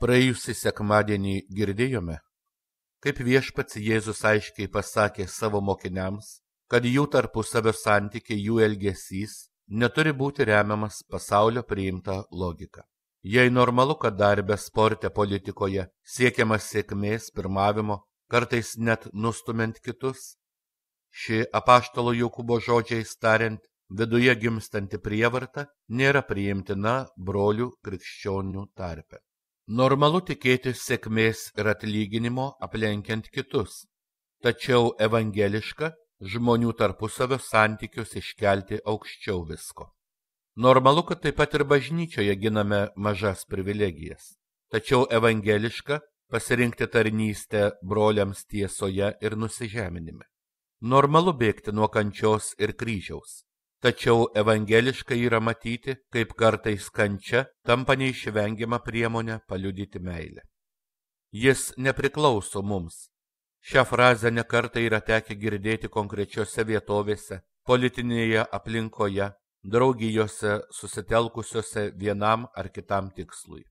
Praėjusį sekmadienį girdėjome, kaip viešpats Jėzus aiškiai pasakė savo mokiniams, kad jų tarpusavio santykiai, jų elgesys neturi būti remiamas pasaulio priimta logika. Jei normalu, kad darbe, sporte, politikoje siekiama sėkmės, pirmavimo, kartais net nustumiant kitus, ši apaštalo Jokūbo žodžiais tariant, viduje gimstanti prievarta nėra priimtina brolių krikščionių tarpe. Normalu tikėtis sėkmės ir atlyginimo aplenkiant kitus, tačiau evangeliška žmonių tarpusavio santykius iškelti aukščiau visko. Normalu, kad taip pat ir bažnyčioje giname mažas privilegijas, tačiau evangeliška pasirinkti tarnystę broliams tiesoje ir nusižeminime. Normalu bėgti nuo kančios ir kryžiaus, tačiau evangeliška yra matyti, kaip kartais kančia tampa neišvengiama priemonė paliudyti meilę. Jis nepriklauso mums. Šią frazę nekartą yra tekę girdėti konkrečiose vietovėse, politinėje aplinkoje, draugijose susitelkusiose vienam ar kitam tikslui.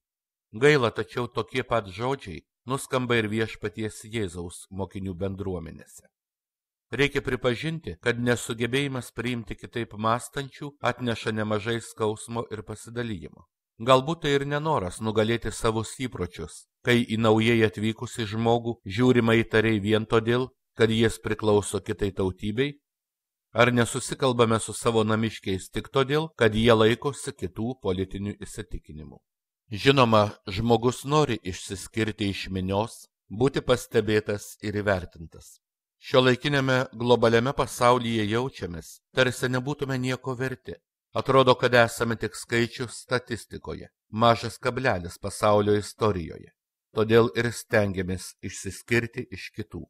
Gaila, tačiau tokie pat žodžiai nuskamba ir viešpaties Jėzaus mokinių bendruomenėse. Reikia pripažinti, kad nesugebėjimas priimti kitaip mąstančių atneša nemažai skausmo ir pasidalijimo. Galbūt tai ir nenoras nugalėti savus įpročius, kai į naujai atvykusį žmogų žiūrima įtariai vien todėl, kad jis priklauso kitai tautybei, ar nesusikalbame su savo namiškiais tik todėl, kad jie laikosi kitų politinių įsitikinimų. Žinoma, žmogus nori išsiskirti iš minios, būti pastebėtas ir įvertintas. Šiuolaikiniame globaliame pasaulyje jaučiamės, tarsi nebūtume nieko verti. Atrodo, kad esame tik skaičius statistikoje, mažas kablelis pasaulio istorijoje. Todėl ir stengiamės išsiskirti iš kitų.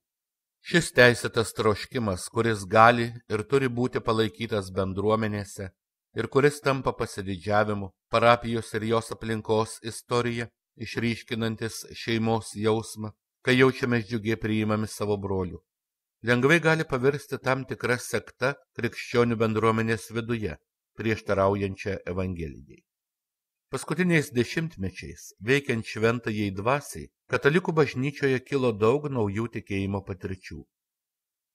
Šis teisėtas troškimas, kuris gali ir turi būti palaikytas bendruomenėse ir kuris tampa pasididžiavimu, parapijos ir jos aplinkos istorija, išryškinantis šeimos jausmą, kai jaučiamės džiugiai priimami savo brolių. Lengvai gali pavirsti tam tikra sekta krikščionių bendruomenės viduje, prieštaraujančia Evangelijai. Paskutiniais dešimtmečiais, veikiant šventajai dvasiai, katalikų bažnyčioje kilo daug naujų tikėjimo patirčių.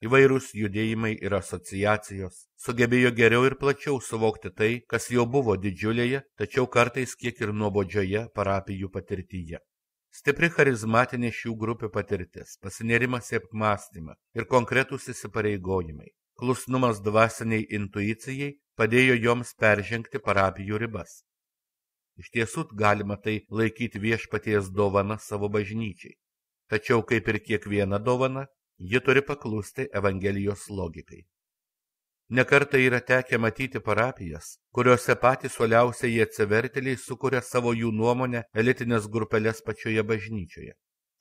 Įvairūs judėjimai ir asociacijos sugebėjo geriau ir plačiau suvokti tai, kas jau buvo didžiulėje, tačiau kartais kiek ir nuobodžioje parapijų patirtyje. Stipri charizmatinė šių grupių patirtis, pasinėrimas į apmąstymą ir konkretūs įsipareigojimai, klusnumas dvasiniai intuicijai padėjo joms peržengti parapijų ribas. Iš tiesų galima tai laikyti viešpaties dovana savo bažnyčiai, tačiau kaip ir kiekviena dovana, ji turi paklusti Evangelijos logikai. Nekartą yra tekę matyti parapijas, kuriuose patys uoliausieji atsivertėliai sukuria savo jų nuomonę elitinės grupelės pačioje bažnyčioje.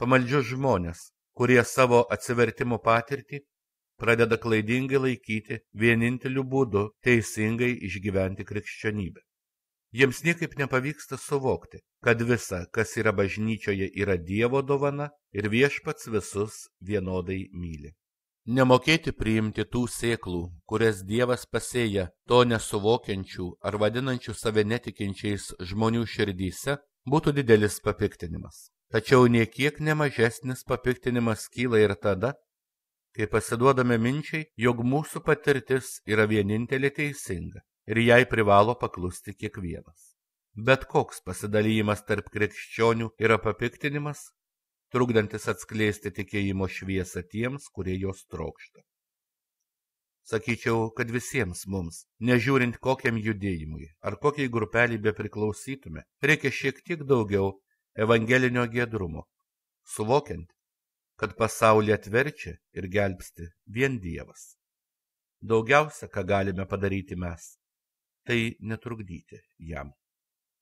Pamaldžius žmonės, kurie savo atsivertimo patirtį pradeda klaidingai laikyti vieninteliu būdu teisingai išgyventi krikščionybę. Jiems niekaip nepavyksta suvokti, kad visa, kas yra bažnyčioje, yra Dievo dovana ir viešpats visus vienodai myli. Nemokėti priimti tų sėklų, kurias Dievas pasėja to nesuvokiančių ar vadinančių save netikinčiais žmonių širdyse, būtų didelis papiktinimas. Tačiau niekiek nemažesnis papiktinimas kyla ir tada, kai pasiduodame minčiai, jog mūsų patirtis yra vienintelė teisinga ir jai privalo paklusti kiekvienas. Bet koks pasidalymas tarp krikščionių yra papiktinimas, trukdantis atskleisti tikėjimo šviesą tiems, kurie jos trokšta. Sakyčiau, kad visiems mums, nežiūrint kokiam judėjimui ar kokiai grupeliai bepriklausytume, reikia šiek tiek daugiau evangelinio giedrumo, suvokiant, kad pasaulį atverčia ir gelbsti vien Dievas. Daugiausia, ką galime padaryti mes, tai netrukdyti jam.